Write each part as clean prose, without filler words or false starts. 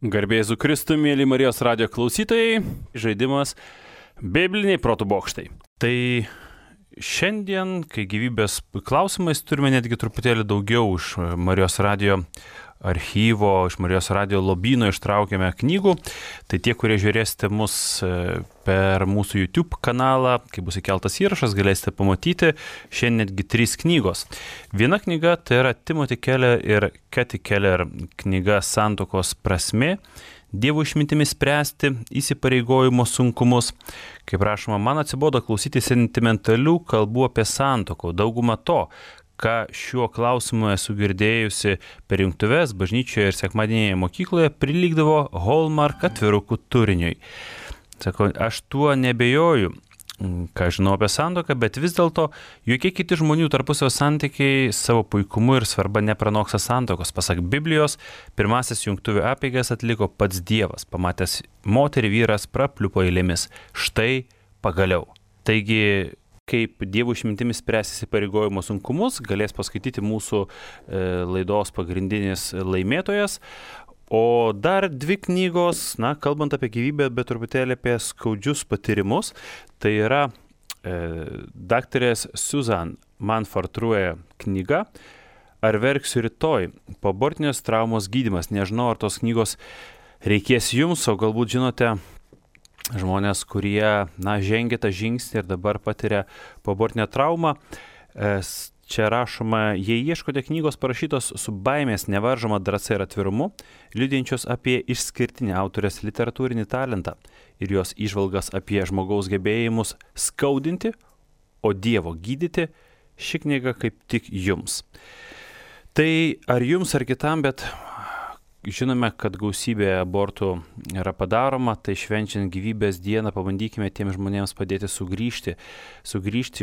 Garbė Jėzui Kristui, mėly Marijos radijo klausytojai, žaidimas Bibliniai protų bokštai. Tai šiandien, kai gyvybės klausimais, turime netgi truputėlį daugiau iš Marijos radijo archyvo, iš Marijos radijo lobyno ištraukėme knygų. Tai tie, kurie žiūrėsite mus per mūsų YouTube kanalą, kai bus įkeltas įrašas, galėsite pamatyti šiandien netgi 3 knygos. Viena knyga tai yra Timothy Keller ir Kathy Keller knyga Santuokos prasmė. Dievo išmintimi spręsti įsipareigojimo sunkumus. Kaip rašoma, man atsibodo klausyti sentimentalių kalbų apie santuoką. Dauguma to, ką šiuo klausimu esu girdėjusi per jungtuves, bažnyčioje ir sekmadienėje mokykloje, prilygdavo Hallmark atvirukų turiniui. Sako, aš tuo nebejoju, ką žinau apie santuoką, bet vis dėlto jokie kiti žmonių tarpusavio santykiai savo puikumu ir svarba nepranoksta santuokos. Pasak Biblijos, pirmasis jungtuvių apeigas atliko pats Dievas. Pamatęs moterį, vyras prapliupo eilėmis. Štai pagaliau. Taigi, kaip Dievo išmintimis spręs įsipareigojimo sunkumus, galės paskaityti mūsų laidos pagrindinis laimėtojas. O dar 2 knygos, kalbant apie gyvybę, bet truputėlį apie skaudžius patyrimus, tai yra daktarės Susan Manford-True knyga Ar verksiu rytoj? Poabortinės traumos gydymas. Nežinau, ar tos knygos reikės jums, o galbūt žinote žmonės, kurie žengia tą žingsnį ir dabar patiria poabortinę traumą. Čia rašoma, jei ieškote knygos parašytos su baimės nevaržoma drąsa ir atvirumu, liudijančios apie išskirtinį autorės literatūrinį talentą ir jos įžvalgas apie žmogaus gebėjimus skaudinti, o Dievo gydyti, ši knyga kaip tik jums. Tai ar jums, ar kitam, bet žinome, kad gausybė abortų yra padaroma, tai švenčiant gyvybės dieną pabandykime tiems žmonėms padėti sugrįžti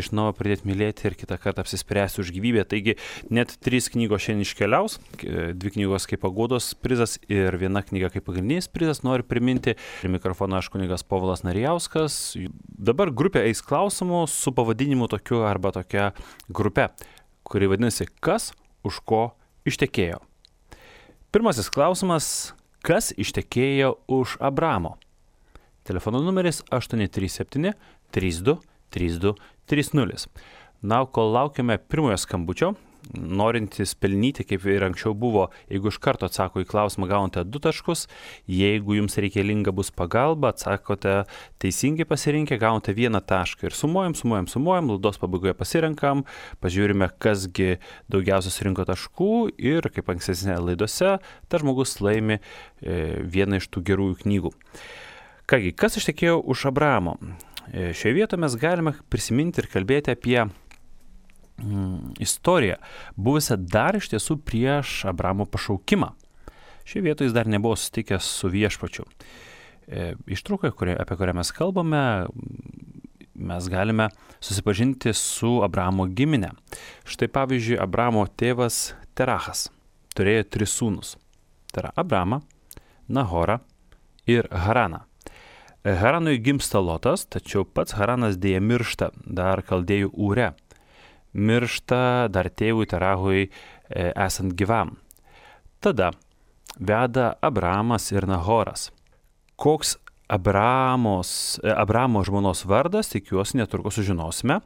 iš naujo, pradėti mylėti ir kitą kartą apsispręsti už gyvybę. Taigi net 3 knygos šiandien iškeliaus, 2 knygos kaip paguodos prizas ir 1 knyga kaip pagrindinis prizas. Noriu priminti, prie mikrofono aš kunigas Povilas Narijauskas. Dabar grupė eis klausimų su pavadinimu tokiu arba tokia grupė, kuri vadinasi Kas už ko ištekėjo. Pirmasis klausimas, kas ištekėjo už Abramo? Telefono numeris 837 32 32 30. Kol laukiame pirmojo skambučio, norintys pelnyti, kaip ir anksčiau buvo, jeigu iš karto atsako į klausimą, gaunate 2 taškus, jeigu jums reikalinga bus pagalba, atsakote teisingai pasirinkę, gaunate 1 tašką ir sumuojam, laidos pabaigoje pasirenkam, pažiūrime, kasgi daugiausiai surinko taškų ir, kaip ankstesnėse laidose, tas žmogus laimi vieną iš tų gerųjų knygų. Kągi, kas ištekėjo už Abramo? Šioje vietoje mes galime prisiminti ir kalbėti apie istoriją, buvusią dar iš tiesų prieš Abramo pašaukimą. Šioje vietoje jis dar nebuvo susitikęs su viešpačiu. Ištraukoje, apie kurią mes kalbame, mes galime susipažinti su Abramo gimine. Štai pavyzdžiui, Abramo tėvas Terachas turėjo 3 sūnus. Tai yra Abramą, Nahorą ir Haraną. Haranui gimsta Lotas, tačiau pats Haranas dėja miršta dar Kaldėjų Ūre. Miršta dar tėvui Terachui esant gyvam. Tada veda Abramas ir Nahoras. Koks Abramo žmonos vardas, tikiuosi, netrukus sužinosime.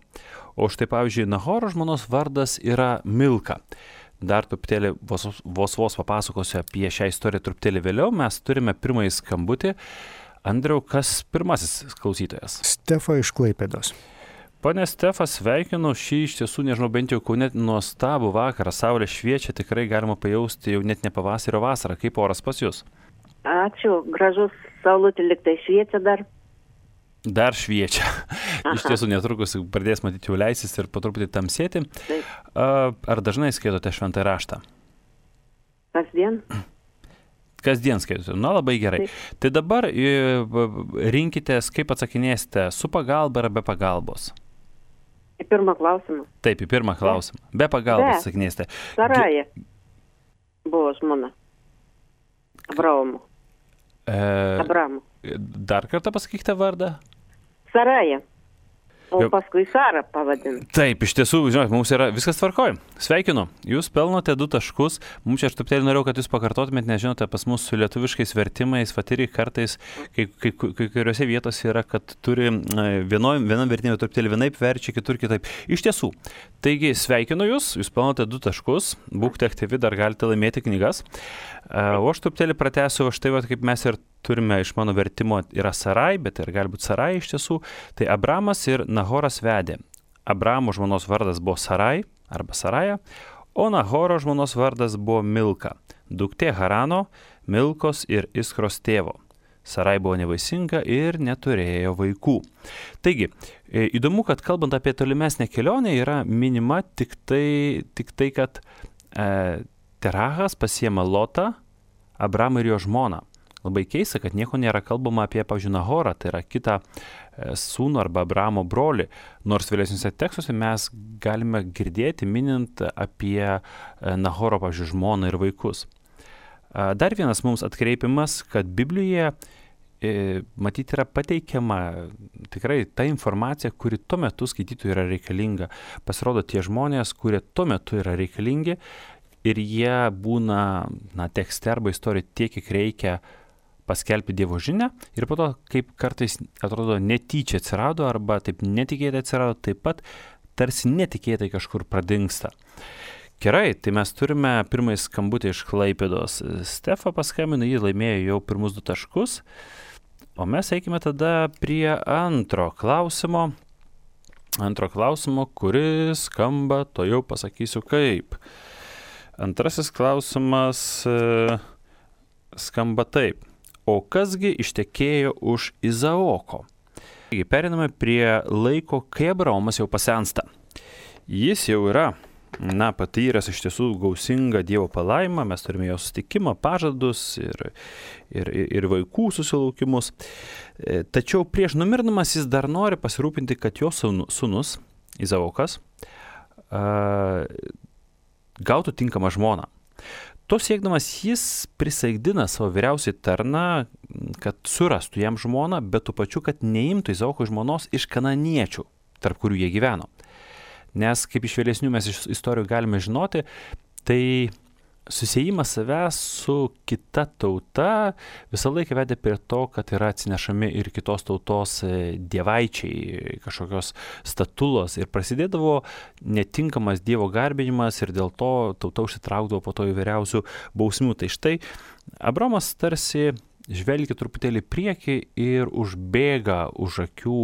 O štai pavyzdžiui, Nahoro žmonos vardas yra Milka. Dar truputėlį vos papasakosiu apie šią istoriją truputėlį vėliau. Mes turime pirmąjį skambutį. Andriau, kas pirmasis klausytojas? Stefa iš Klaipėdos. Pane Stefa, sveikinu šį iš tiesų, nežinau, bent jau Kaune nuostabų vakarą, saulė šviečia, tikrai galima pajausti jau net ne pavasario vasarą. Kaip oras pas jūs? Ačiū, gražus saulutė liktai šviečia dar. Dar šviečia. Iš tiesų netrukus pradės matyti jau leisis ir po truputį tamsėti. Taip. Ar dažnai skaitote šventąjį raštą? Kasdien. Kasdien skaitote. Labai gerai. Taip. Tai dabar rinkitės, kaip atsakinėsite, su pagalba ar be pagalbos? Į pirmą klausimą. Taip, į pirmą klausimą. Be pagalbos atsakinėsite. Saraja buvo žmona. Abramo. Dar kartą pasakykite vardą? Saraja. O paskui Sarą pavadinti. Taip, iš tiesų, žinot, mums yra viskas tvarkoj. Sveikinu, jūs pelnote 2 taškus. Mums čia aš truputėlį norėjau, kad jūs pakartotumėt, nes žinote, pas mus su lietuviškais vertimais, vatiri kartais, kai kuriuose vietose yra, kad turi vienam vertimui truputėlį vienaip verčia, kitur kitaip. Iš tiesų, taigi sveikinu jūs pelnote 2 taškus, būkite aktyvi, dar galite laimėti knygas. O aš truputėlį pratęsiu, štai va, kaip mes ir turime iš mano vertimo yra Sarai, bet ir galbūt Sarai iš tiesų. Tai Abramas ir Nahoras vedė. Abramo žmonos vardas buvo Sarai arba Saraja, o Nahoro žmonos vardas buvo Milka, duktė Harano, Milkos ir Iskros tėvo. Sarai buvo nevaisinga ir neturėjo vaikų. Taigi, įdomu, kad kalbant apie tolimesnę kelionę yra minima tik tai kad Terachas pasiema Lotą, Abramą ir jo žmoną. Labai keista, kad nieko nėra kalbama apie, pavyzdžiui, Nahorą, tai yra kitą sūnų arba Abramo brolį, nors vėlesniuose tekstuose mes galime girdėti minint apie Nahoro, pavyzdžiui, žmoną ir vaikus. Dar vienas mums atkreipimas, kad Biblijoje matyti yra pateikiama tikrai ta informacija, kuri tuo metu skaitytojui yra reikalinga. Pasirodo tie žmonės, kurie tuo metu yra reikalingi ir jie būna tekste arba istorijoje tiek, kiek reikia paskelbti Dievo žinią ir po to, kaip kartais atrodo netyčia atsirado arba taip netikėtai atsirado, taip pat tarsi netikėtai kažkur pradingsta. Gerai, tai mes turime pirmąjį skambutį iš Klaipėdos. Stefa paskambino, jį laimėjo jau pirmus 2 taškus, o mes eikime tada prie antro klausimo, kuris skamba, to jau pasakysiu kaip. Antrasis klausimas skamba taip. O kasgi ištekėjo už Izaoko? Taigi, periname prie laiko, kai Abraomas jau pasensta. Jis jau yra, patyręs iš tiesų gausingą Dievo palaimą, mes turime jo susitikimą, pažadus ir vaikų susilaukimus. Tačiau prieš numirdamas jis dar nori pasirūpinti, kad jo sūnus, Izaokas, gautų tinkamą žmoną. To siekdamas jis prisaikdina savo vyriausiai tarną, kad surastų jam žmoną, bet tuo pačiu, kad neimtų Izaoko žmonos iš kananiečių, tarp kurių jie gyveno. Nes, kaip iš vėlesnių mes iš istorijų galime žinoti, tai susiejimas savęs su kita tauta visą laiką vedė prie to, kad yra atsinešami ir kitos tautos dievaičiai, kažkokios statulos ir prasidėdavo netinkamas Dievo garbinimas ir dėl to tauta užsitraukdavo po to įvairiausių bausmių. Tai štai Abraomas tarsi žvelgia truputėlį priekį ir užbėga už akių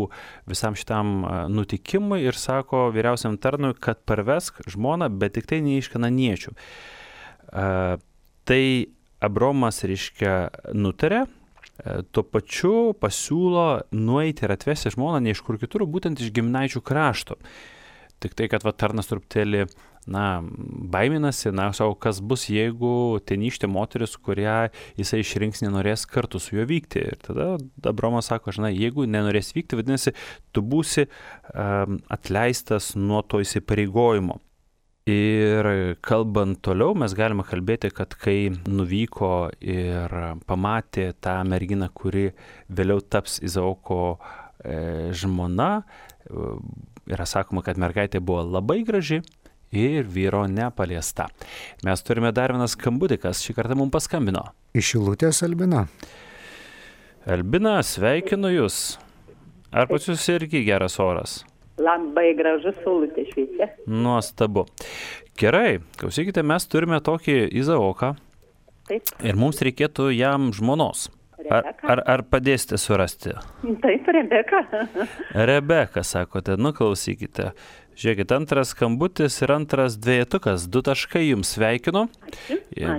visam šitam nutikimui ir sako vyriausiam tarnui, kad parvesk žmoną, bet tik tai ne iš kananiečių. Tai Abraomas, nutarė, tuo pačiu pasiūlo nueiti ir atvesti žmoną ne iš kur kitur, būtent iš giminaičių krašto. Tik tai, kad tarnas truputėlį, baiminasi, savo, kas bus, jeigu tenykštė moteris, kurią jisai išrinks, nenorės kartu su juo vykti. Ir tada Abraomas sako, jeigu nenorės vykti, vadinasi, tu būsi atleistas nuo to įsipareigojimo. Ir kalbant toliau, mes galime kalbėti, kad kai nuvyko ir pamatė tą merginą, kuri vėliau taps Izaoko žmona, yra sakoma, kad mergaitė buvo labai graži ir vyro nepaliesta. Mes turime dar vieną skambutį, kas šį kartą mums paskambino. Iš Šilutės Albina. Albina, sveikinu Jūs. Ar pas Jūs irgi geras oras? Labai gražus saulutė šviečia. Nuostabu. Gerai, klausykite, mes turime tokį Izaoką. Taip. Ir mums reikėtų jam žmonos. Ar padėsite surasti? Taip, Rebeka. Rebeka, sakote, klausykite. Žiūrėkit, antras skambutis ir antras dvejetukas. 2 taškai jums sveikinu.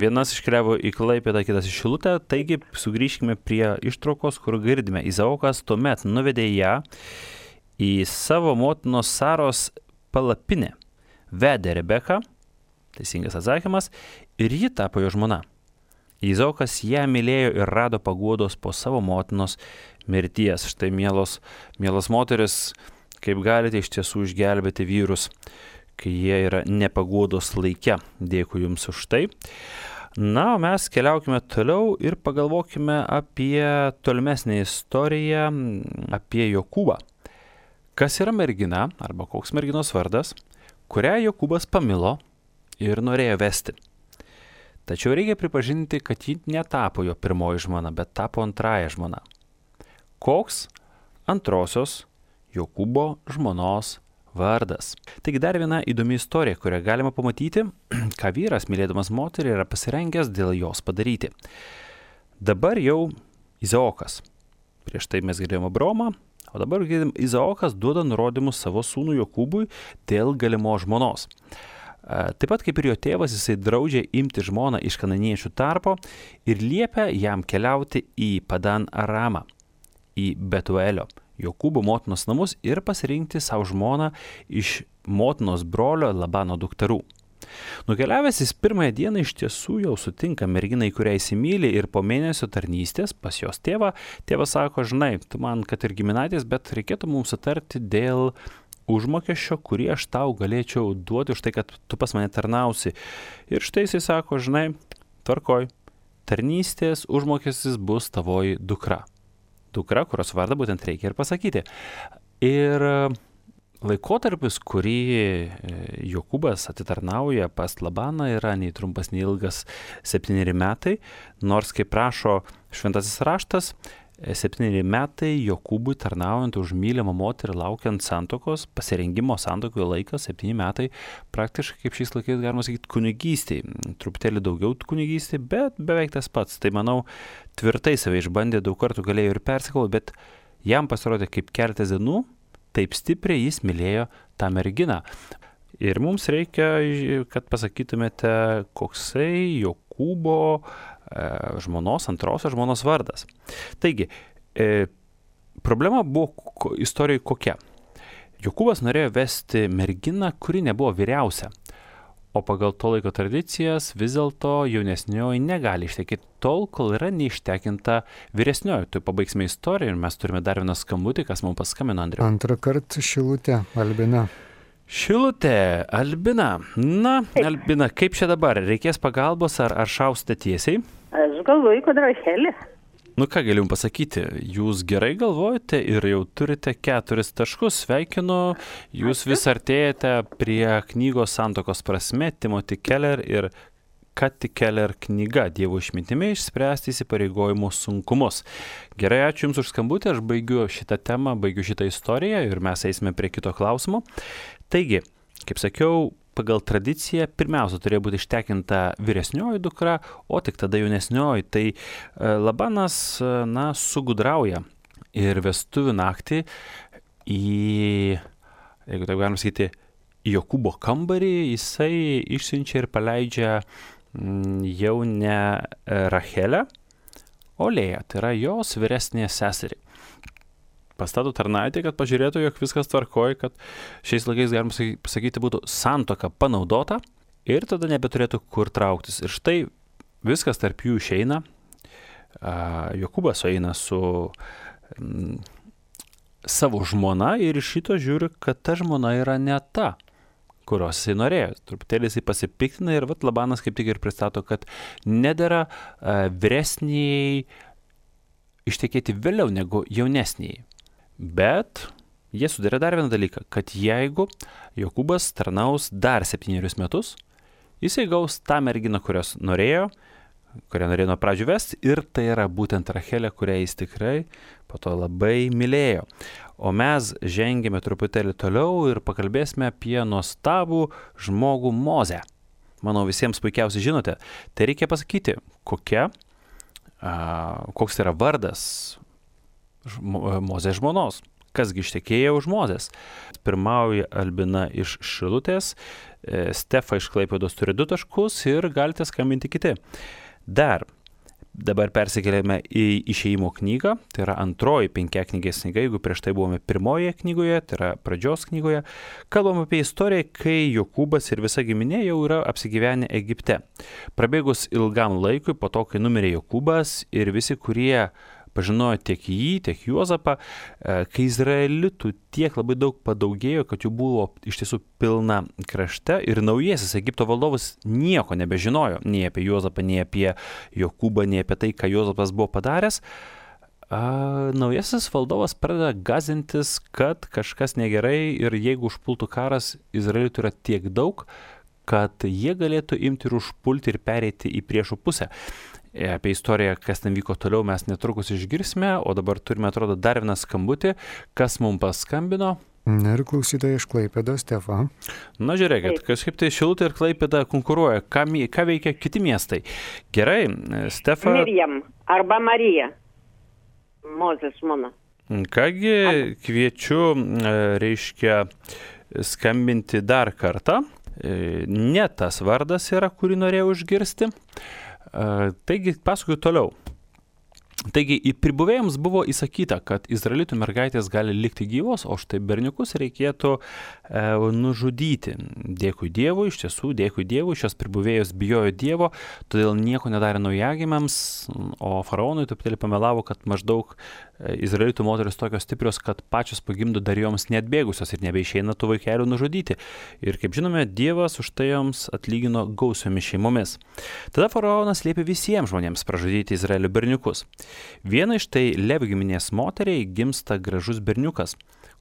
Vienas iškeliavo į Klaipėdą, kitas į Šilutę. Taigi, sugrįžkime prie ištraukos, kur girdime. Izaokas tuomet nuvedė ją į savo motinos Saros palapinę. Vedė Rebeką, teisingas atsakymas, ir ji tapo jo žmona. Izaokas ją mylėjo ir rado paguodos po savo motinos mirties. Štai, mielos moteris, kaip galite iš tiesų išgelbėti vyrus, kai jie yra nepaguodos laike. Dėkui Jums už tai. O mes keliaukime toliau ir pagalvokime apie tolimesnę istoriją, apie Jokūbą. Kas yra mergina arba koks merginos vardas, kurią Jokūbas pamilo ir norėjo vesti. Tačiau reikia pripažinti, kad ji netapo jo pirmoji žmona, bet tapo antrąja žmona. Koks antrosios Jokūbo žmonos vardas? Taigi dar viena įdomi istorija, kurią galima pamatyti, ką vyras, mylėdamas moterį, yra pasirengęs dėl jos padaryti. Dabar jau Izaokas. Prieš tai mes girdėjome Abraomą, o dabar Izaokas duoda nurodymus savo sūnui Jokūbui dėl galimos žmonos. Taip pat kaip ir jo tėvas, jisai draudžia imti žmoną iš kananiečių tarpo ir liepia jam keliauti į Padan Aramą, į Betuelio, Jokūbo motinos namus ir pasirinkti savo žmoną iš motinos brolio Labano dukterų. Nukeliavęs jis pirmąją dieną iš tiesų jau sutinka merginą, į kurią įsimylė, ir po mėnesio tarnystės pas jos tėvą, tėvas sako, žinai, tu man kad ir giminaitis, bet reikėtų mums sutarti dėl užmokesčio, kurį aš tau galėčiau duoti už tai, kad tu pas mane tarnausi. Ir štai jisai sako, žinai, tvarkoj, tarnystės užmokestis bus tavoji dukra. Dukra, kurios vardą būtent reikia ir pasakyti. Ir laikotarpis, kurį Jokūbas atitarnauja pas Labaną, yra nei trumpas, nei ilgas 7 metai, nors, kaip prašo šventasis raštas, 7 metai Jokūbui tarnaujant už mylimą moterį, laukiant santokos, pasirengimo santokoje laikas 7 metai, praktiškai kaip šiais laikais galima sakyti kunigystėj, truputėlį daugiau kunigystėj, bet beveik tas pats. Tai manau, tvirtai save išbandė, daug kartų galėjo ir persikalbėti, bet jam pasirodė kaip keletas dienų, taip stipriai jis mylėjo tą merginą. Ir mums reikia, kad pasakytumėte, koksai Jokūbo žmonos, antrosios žmonos vardas. Taigi, problema buvo istorijoje kokia. Jokūbas norėjo vesti merginą, kuri nebuvo vyriausia. O pagal to laiko tradicijas vis dėlto jaunesnioji negali ištekėti tol, kol yra neištekinta vyresnioji. Tai pabaigsime istoriją ir mes turime dar vieną skambutį, kas mums paskambino, Andriau. Antrą kartą Šilutė, Albina. Šilutė, Albina. Na, Albina, kaip čia dabar? Reikės pagalbos ar šausite tiesiai? Aš galvoju, kad Rachelė. Nu ką galim pasakyti, jūs gerai galvojate ir jau turite 4 taškus, sveikinu, jūs vis artėjate prie knygos Santokos prasme, Timothy Keller ir Kathy Keller knyga Dievo išmintimi išspręsti įsipareigojimų sunkumus. Gerai, ačiū Jums už skambutį, aš baigiu šitą temą, baigiu šitą istoriją ir mes eisime prie kito klausimo. Taigi, kaip sakiau, pagal tradiciją pirmiausia turėjo būti ištekinta vyresnioji dukra, o tik tada jaunesnioji. Tai Labanas, sugudrauja ir vestuvių naktį į, jeigu taip galim sakyti, Jokūbo kambarį, jisai išsiunčia ir paleidžia jau ne Rachelę, o Lėją, tai yra jos vyresnė seserį. Pastato tarnaitį, kad pažiūrėtų, jog viskas tvarkoja, kad šiais laikais, galima sakyti, būtų santuoka panaudota ir tada nebeturėtų kur trauktis. Ir štai viskas tarp jų išeina. Jokūbas eina su savo žmona ir iš šito žiūri, kad ta žmona yra ne ta, kurios jisai norėjo. Truputėlį jisai pasipiktina ir Labanas kaip tik ir pristato, kad nedera vyresniai ištekėti vėliau negu jaunesniai. Bet jie sudarė dar vieną dalyką, kad jeigu Jokūbas tarnaus dar 7 metus, jisai gaus tą merginą, kurią norėjo nuo pradžių vesti, ir tai yra būtent Rachelė, kurią jis tikrai po to labai mylėjo. O mes žengėme truputėlį toliau ir pakalbėsime apie nuostabų žmogų Mozę. Manau, visiems puikiausiai žinote. Tai reikia pasakyti, koks yra vardas Mozės žmonos. Kasgi ištekėjo už Mozės? Pirmauja Albina iš Šilutės, Stefa iš Klaipėdos turi 2 taškus ir galite skambinti kiti. Dabar persikeliame į Išėjimo knygą, tai yra antroji 5-knygės knyga, jeigu prieš tai buvome pirmoje knygoje, tai yra pradžios knygoje. Kalbam apie istoriją, kai Jokūbas ir visa giminė jau yra apsigyvenę Egipte. Prabėgus ilgam laikui, po to, kai numirė Jokūbas ir visi, kurie pažinojo tiek jį, tiek Juozapą, kai izraelitų tiek labai daug padaugėjo, kad jų buvo iš tiesų pilna krašte ir naujasis Egipto valdovas nieko nebežinojo, nei apie Juozapą, nei apie Jokūbą, nei apie tai, ką Juozapas buvo padaręs. Naujasis valdovas pradeda gąsdintis, kad kažkas negerai ir jeigu užpultų karas, Izraelitų yra tiek daug, kad jie galėtų imti ir užpulti ir pereiti į priešų pusę. Apie istoriją, kas ten vyko toliau, mes netrukus išgirsime, o dabar turime, atrodo, dar vieną skambutį, kas mums paskambino. Ir klausytoja iš Klaipėdos, Stefa. Na, žiūrėkit, kažkaip tai Šilutė ir Klaipėda konkuruoja. Ką veikia kiti miestai? Gerai, Stefa. Miriam arba Marija. Mozės žmona. Kągi, kviečiu, reiškia, skambinti dar kartą. Ne tas vardas yra, kurį norėjau išgirsti. Taigi, pasakoju toliau. Taigi, pribuvėjams buvo įsakyta, kad izraelitų mergaitės gali likti gyvos, o štai berniukus reikėtų nužudyti. Dėkui Dievui, iš tiesų, dėkui Dievui, šios pribuvėjos bijojo Dievo, todėl nieko nedarė naujagimiams, o faraonui truputėlį pamelavo, kad maždaug izraelitų moteris tokios stiprios, kad pačios pagimdo dar joms neatbėgusios ir nebeišeina tų vaikelių nužudyti. Ir kaip žinome, Dievas už tai joms atlygino gausiomis šeimomis. Tada faraonas liepė visiems žmonėms pražudyti Izraelio berniukus. Viena iš tai Levi giminės moteriai gimsta gražus berniukas,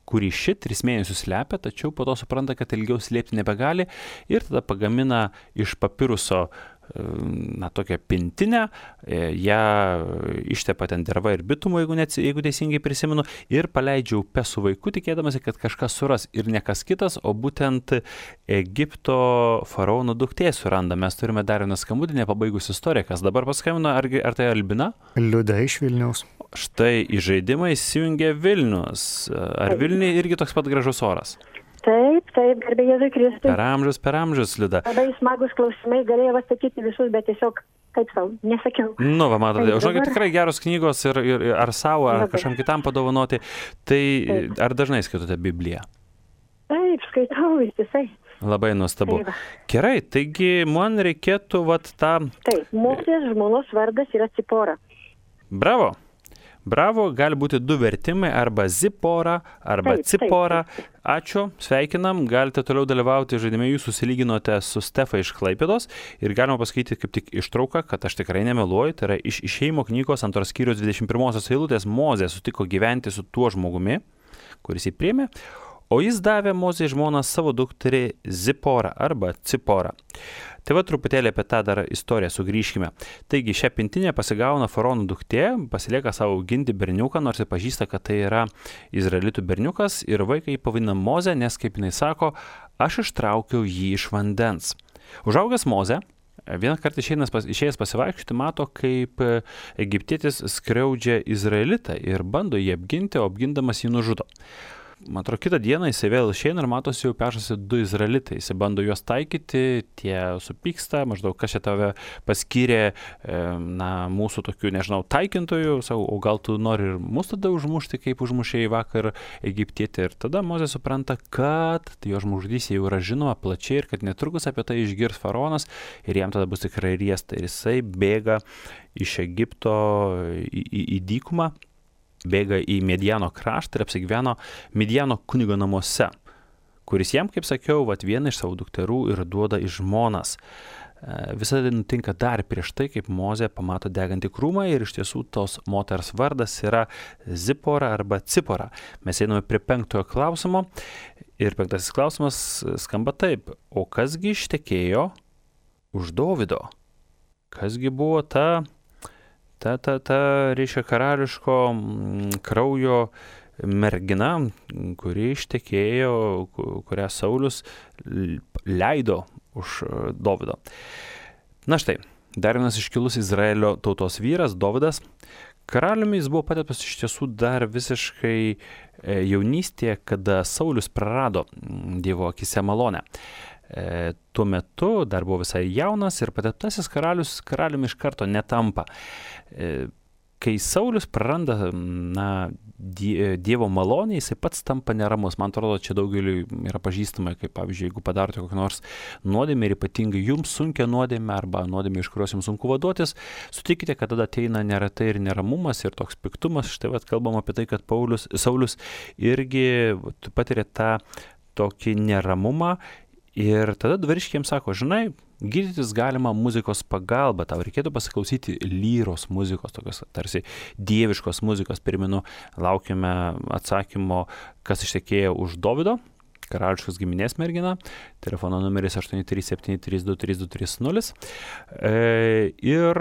kurį ši 3 mėnesius slepia, tačiau po to supranta, kad ilgiau slėpti nebegali ir tada pagamina iš papiruso tokią pintinę, ją ištepa ten derva ir bitumu, jeigu teisingai prisimenu, ir paleidžia upę su vaiku, tikėdamasi, kad kažkas suras ir ne kas kitas, o būtent Egipto faraono duktė suranda. Mes turime dar vieną skambutį, nepabaigus istoriją, kas dabar paskambino, ar tai Albina? Liuda iš Vilniaus. Štai į žaidimą įsijungia Vilnius. Ar Vilniuje irgi toks pat gražus oras? Taip, garbė Jėzui Kristui. Per amžius, Liuda. Labai smagus klausimai, galėjau atsakyti visus, bet tiesiog, kaip savo, nesakiau. Nu, va, matote, žinokit, tikrai geros knygos ir ar savo, ar kažkam kitam padovanoti. Tai ar dažnai skaitote Bibliją? Taip, skaitau visai. Labai nuostabu. Gerai, taigi man reikėtų tą... Taip, Mozės žmonos vardas yra Cipora. Bravo. Bravo, gali būti 2 vertimai, arba Zipora, arba Cipora. Ačiū, sveikinam, galite toliau dalyvauti žaidime, jūs susilyginote su Stefa iš Klaipėdos ir galima pasakyti kaip tik ištrauką, kad aš tikrai nemeluoju, tai yra iš Išėjimo knygos 2 skyriaus 21 eilutės. Mozė sutiko gyventi su tuo žmogumi, kuris jį priėmė, o jis davė Mozei žmoną savo dukterį Ziporą arba Ciporą. Tai va truputėlį apie tą dar istoriją sugrįžkime. Taigi šią pintinę pasigauna faraono duktė, pasilieka savo auginti berniuką, nors ir pažįsta, kad tai yra izraelitų berniukas ir vaiką jį pavadina Mozė, nes kaip jinai sako, aš ištraukiau jį iš vandens. Užaugęs Mozė, vieną kartą išėjęs pasivaikščioti, mato, kaip egiptietis skriaudžia izraelitą ir bando jį apginti, o apgindamas jį nužudo. Man atrodo, kitą dieną jisai vėl išeina ir matosi jau pešasi 2 izraelitai. Jisai bando juos taikyti, tie supyksta, maždaug kas čia tave paskyrė, mūsų tokių, nežinau, taikintojų, o gal tu nori ir mus tada užmušti, kaip užmušėjai vakar egiptietį. Ir tada Mozė supranta, kad jo žmogžudystė jau yra žinoma plačiai ir kad netrukus apie tai išgirs faraonas ir jam tada bus tikrai riesta. Ir jisai bėga iš Egipto į dykumą. Bėga į Midiano kraštą ir apsigyveno Midiano kunigo namuose, kuris jam, kaip sakiau, vieną iš savo dukterų ir duoda į žmonas. Visą tai nutinka dar prieš tai, kaip Mozė pamato degantį krūmą ir iš tiesų tos moters vardas yra Zipora arba Cipora. Mes einame prie 5 klausimo ir 5 klausimas skamba taip. O kasgi ištekėjo už Dovydo? Kasgi buvo ta reiškia karališko kraujo mergina, kuri ištekėjo, kurią Saulius leido už Dovydo. Na štai, dar vienas iškilus Izraelio tautos vyras, Dovydas. Karaliumi jis buvo pateptas iš tiesų dar visiškai jaunystėje, kada Saulius prarado Dievo akise malonę. Tuo metu dar buvo visai jaunas ir pateptasis karaliumi iš karto netampa. Kai Saulius praranda Dievo malonę, jisai pats tampa neramus. Man atrodo, čia daugeliui yra pažįstama, kaip pavyzdžiui, jeigu padarote kokią nors nuodėmę ir ypatingai jums sunkia nuodėmė arba nuodėmė, iš kurios jums sunku vaduotis, sutikite, kad tada ateina neretai ir neramumas ir toks piktumas. Štai kalbam apie tai, kad Saulius irgi patiria tą tokį neramumą. Ir tada dvariškiai jiems sako, žinai, gydytis galima muzikos pagalba. Tau reikėtų pasiklausyti lyros muzikos, tokios tarsi dieviškos muzikos. Primenu, laukiame atsakymo, kas ištekėjo už Dovydo, karališkos giminės mergina. Telefono numeris 837323230. Ir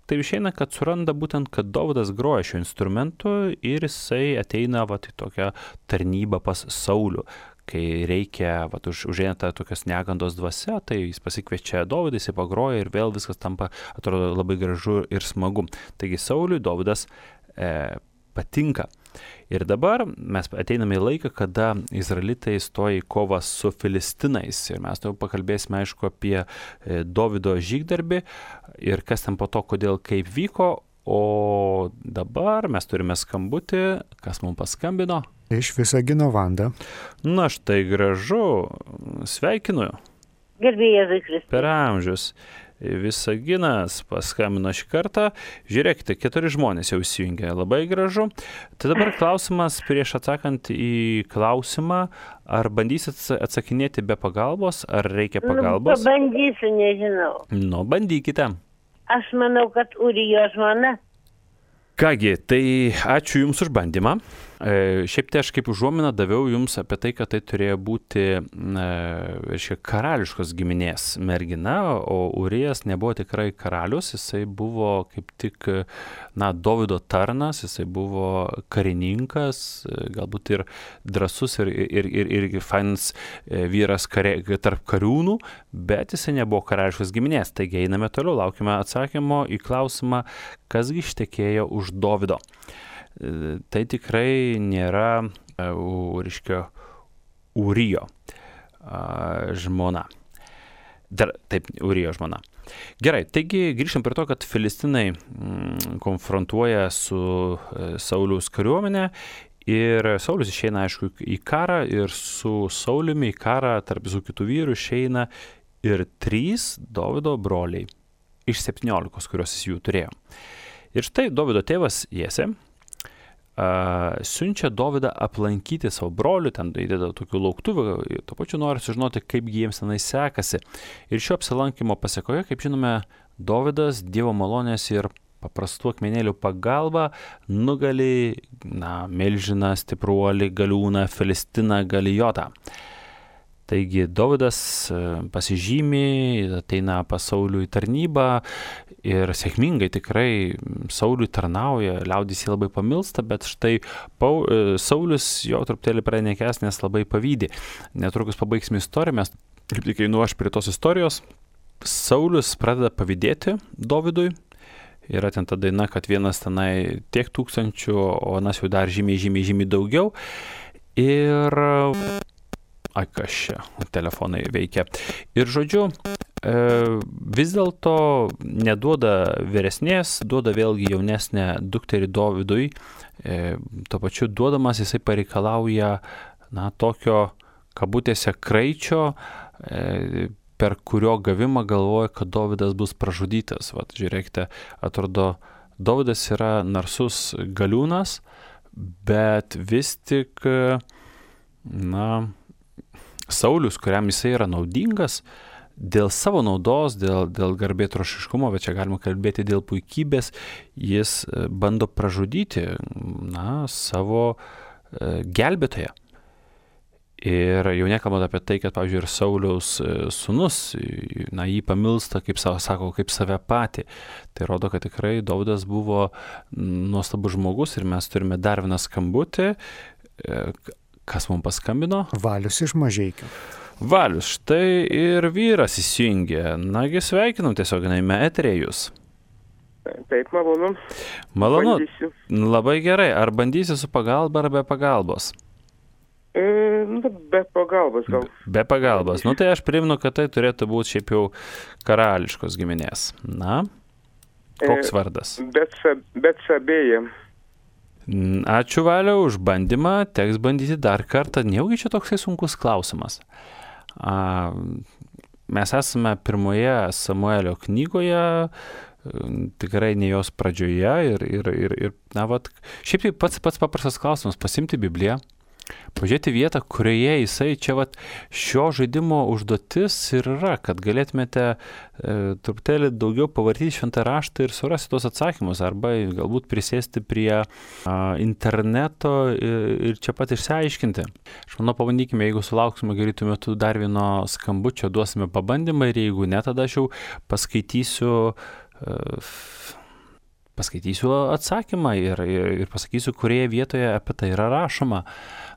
tai išeina, kad suranda būtent, kad Dovydas groja šio instrumentu ir jisai ateina į tokią tarnybą pas Saulių. Kai reikia, užeina ta tokios negandos dvasia, tai jis pasikviečia Dovydą, jisai pagroja ir vėl viskas tampa, atrodo, labai gražu ir smagu. Taigi Sauliui Dovydas patinka. Ir dabar mes ateiname į laiką, kada izraelitai stoja į kovą su filistinais. Ir mes jau pakalbėsime, aišku, apie Dovydo žygdarbį ir kas ten po to, kodėl, kaip vyko. O dabar mes turime skambutį, kas mums paskambino. Iš Visagino Vanda. Na štai gražu, sveikinu. Gerbėjai Kristus. Per amžius. Visaginas paskambino šį kartą. Žiūrėkite, 4 žmonės jau įsijungė. Labai gražu. Tai dabar klausimas, prieš atsakant į klausimą, ar bandysit atsakinėti be pagalbos, ar reikia pagalbos? Pabandysiu, nežinau. Nu, bandykite. Aš manau, kad Urijo žmona. Kągi, tai ačiū Jums už bandymą. Šiaip tai aš kaip užuominą daviau Jums apie tai, kad tai turėjo būti karališkos giminės mergina, o Urijas nebuvo tikrai karalius, jisai buvo kaip tik Dovydo tarnas, jisai buvo karininkas, galbūt ir drąsus ir fainas vyras tarp kariūnų, bet jisai nebuvo karališkos giminės. Taigi einame toliau, laukime atsakymo į klausimą, kasgi ištekėjo už Dovydo. Tai tikrai nėra Urijo žmona. Taip, Urijo žmona. Gerai, taigi grįžtam prie to, kad filistinai konfrontuoja su Sauliaus kariuomenė ir Saulius išeina, aišku, į karą ir su Sauliumi į karą tarp visų kitų vyrų išeina ir 3 Dovydo broliai iš 17, kuriuos jis jų turėjo. Ir štai Dovydo tėvas Jesė siunčia Dovydą aplankyti savo brolių, ten įdeda tokių lauktuvių, tuo pačiu nori sužinoti, kaip jiems tenai sekasi. Ir šio apsilankimo pasekoje, kaip žinome, Dovydas Dievo malonės ir paprastų akmenėlių pagalba nugali milžiną, stipruolį, galiūną, Filistiną, Galijotą. Taigi Dovydas pasižymi, ateina pas Saulių į tarnybą ir sėkmingai tikrai Sauliui tarnauja, liaudis jį labai pamilsta, bet štai Saulius jo truputėlį pranekęs, nes labai pavydi. Netrukus pabaigsime istoriją, mes kaip tik einu aš prie tos istorijos. Saulius pradeda pavydėti Dovydui. Yra ten ta daina, kad vienas tenai tiek tūkstančių, o anas jau dar žymiai daugiau. Ir kas čia, telefonai veikia. Ir žodžiu, vis dėlto neduoda vyresnės, duoda vėlgi jaunesnę dukterį Dovydui. Tuo pačiu duodamas jisai pareikalauja tokio kabutėse kraičio, per kurio gavimą galvoja, kad Dovydas bus pražudytas. Vat, žiūrėkite, atrodo, Dovydas yra narsus galiūnas, bet vis tik, Saulius, kuriam jisai yra naudingas, dėl savo naudos, dėl garbėtrošiškumo, bet čia galima kalbėti dėl puikybės, jis bando pražudyti savo gelbėtoją. Ir jau nekalbant apie tai, kad, pavyzdžiui, ir Sauliaus sūnus, jį pamilsta, kaip sako, kaip save patį. Tai rodo, kad tikrai Dovydas buvo nuostabus žmogus ir mes turime dar vieną skambutį. Kas mums paskambino? Valius iš Mažeikių. Valius, štai ir vyras įsijungė. Nagi sveikinam tiesiog eteryje jūs. Taip, malonu. Malonu. Bandysiu. Labai gerai. Ar bandysi su pagalba ar be pagalbos? Be pagalbos gal. Be pagalbos. Tai aš primenu, kad tai turėtų būti šiaip jau karališkos giminės. Koks vardas? Betsabėja. Ačiū, Valiau, už bandymą. Teks bandyti dar kartą. Nejaugi čia toksai sunkus klausimas. Mes esame pirmoje Samuelio knygoje, tikrai ne jos pradžioje. Šiaip tai pats paprastas klausimas. Pasimti Bibliją, pažiūrėti vietą, kurioje jisai čia šio žaidimo užduotis ir yra, kad galėtumėte truputėlį daugiau pavartyti šventą raštą ir surasti tos atsakymus, arba galbūt prisėsti prie interneto ir čia pat išsiaiškinti. Aš manau, pabandykime, jeigu sulauksime greitų metų dar vieno skambučio, duosime pabandymą ir jeigu ne, tada aš jau paskaitysiu atsakymą ir pasakysiu, kurioje vietoje apie tai yra rašoma.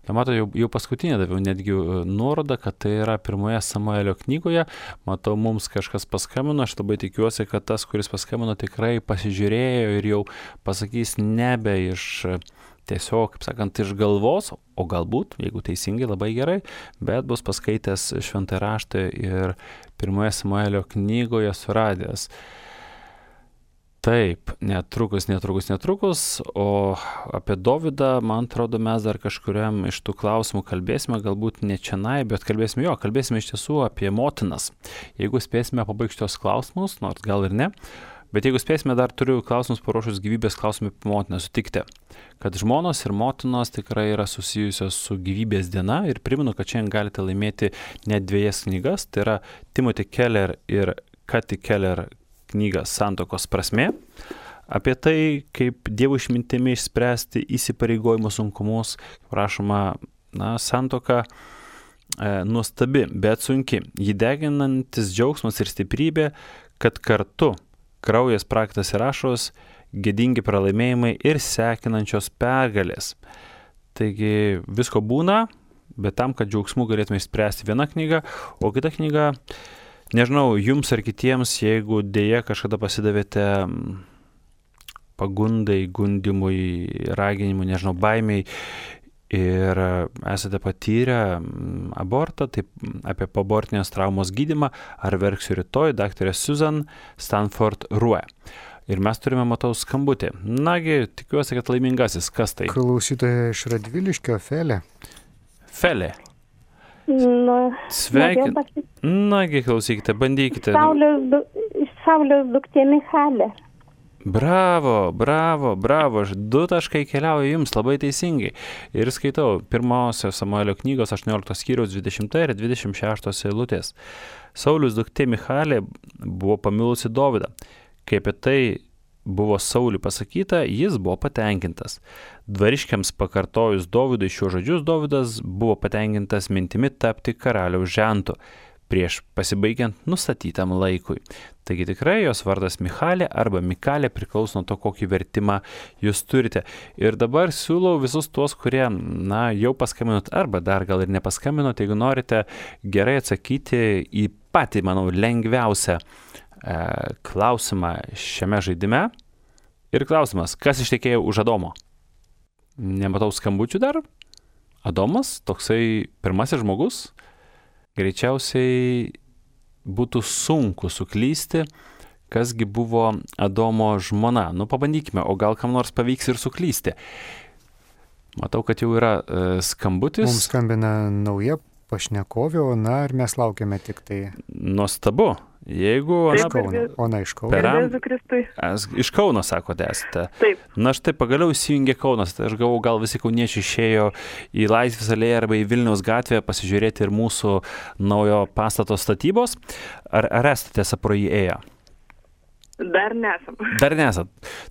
Tai matau, jau paskutinė daviau netgi nuorodą, kad tai yra pirmoje Samuelio knygoje. Matau, mums kažkas paskambino, aš labai tikiuosi, kad tas, kuris paskambino, tikrai pasižiūrėjo ir jau pasakys nebe iš tiesiog, kaip sakant, iš galvos, o galbūt, jeigu teisingai, labai gerai, bet bus paskaitęs šventą raštą ir pirmoje Samuelio knygoje suradęs. Taip, netrukus, o apie Dovydą, man atrodo, mes dar kažkuriam iš tų klausimų kalbėsime, galbūt ne čianai, bet kalbėsime iš tiesų apie motinas. Jeigu spėsime pabaigti šios klausimus, nors gal ir ne, bet jeigu spėsime, dar turiu klausimus paruošus gyvybės klausimai apie motiną, sutikti, kad žmonos ir motinos tikrai yra susijusios su gyvybės diena ir primenu, kad šiandien galite laimėti net 2 knygas, tai yra Timothy Keller ir Kathy Keller knygą Santuokos prasmė, apie tai, kaip Dievo išmintimi išspręsti įsipareigojimo sunkumus, prašoma, santuoka nuostabi, bet sunki, jį deginantis džiaugsmas ir stiprybė, kad kartu kraujas, prakaitas ir ašaros, gėdingi pralaimėjimai ir sekinančios pergalės. Taigi visko būna, bet tam, kad džiaugsmų galėtume išspręsti viena knyga, o kita knyga, nežinau, jums ar kitiems, jeigu dėja kažkada pasidavėte pagundai, gundimui, raginimui, nežinau, baimiai ir esate patyrę abortą, taip apie poabortinės traumos gydymą, ar verksiu rytoj, daktarė Susan Stanford Rue. Ir mes turime, matau, skambutį. Nagi, tikiuosi, kad laimingasis. Kas tai? Klausytoja iš Radviliškio, Felė. Felė. Sveikinu. Nagi, klausykite, bandykite. Saulės duktė Michalė. Bravo. 2 taškai keliauja jums, labai teisingai. Ir skaitau pirmosios Samuelio knygos 18 skyriaus 20 ir 26 eilutės. Sauliaus duktė Michalė buvo pamilusi Dovydą. Kai apie tai buvo Sauliui pasakyta, jis buvo patenkintas. Dvariškiams pakartojus Dovydui šiuos žodžius, Dovydas buvo patenkintas mintimi tapti karaliaus žentu prieš pasibaigiant nustatytam laikui. Taigi tikrai jos vardas Michalė arba Mikalė priklauso nuo to, kokį vertimą jūs turite. Ir dabar siūlau visus tuos, kurie, jau paskambinot arba dar gal ir nepaskambinot, jeigu norite gerai atsakyti į patį, manau, lengviausią klausimą šiame žaidime. Ir klausimas, kas ištekėjo už Adomo? Nematau skambučių dar. Adomas, toksai pirmasis žmogus, greičiausiai būtų sunku suklysti, kasgi buvo Adomo žmona. Pabandykime, o gal kam nors pavyks ir suklysti. Matau, kad jau yra skambutis. Mums skambina nauja pašnekovė, ir mes laukiame tik tai. Nuostabu. Jeigu Ona iš Kauno. Iš Kauno, sakote, esate. Taip. Štai pagaliau įsijungė Kaunas. Tai aš galvoju, gal visi kauniečiai išėjo į Laisvės alėją arba į Vilniaus gatvę pasižiūrėti ir mūsų naujo pastato statybos. Ar esate pro jį ėję? Dar nesam. Dar nesat.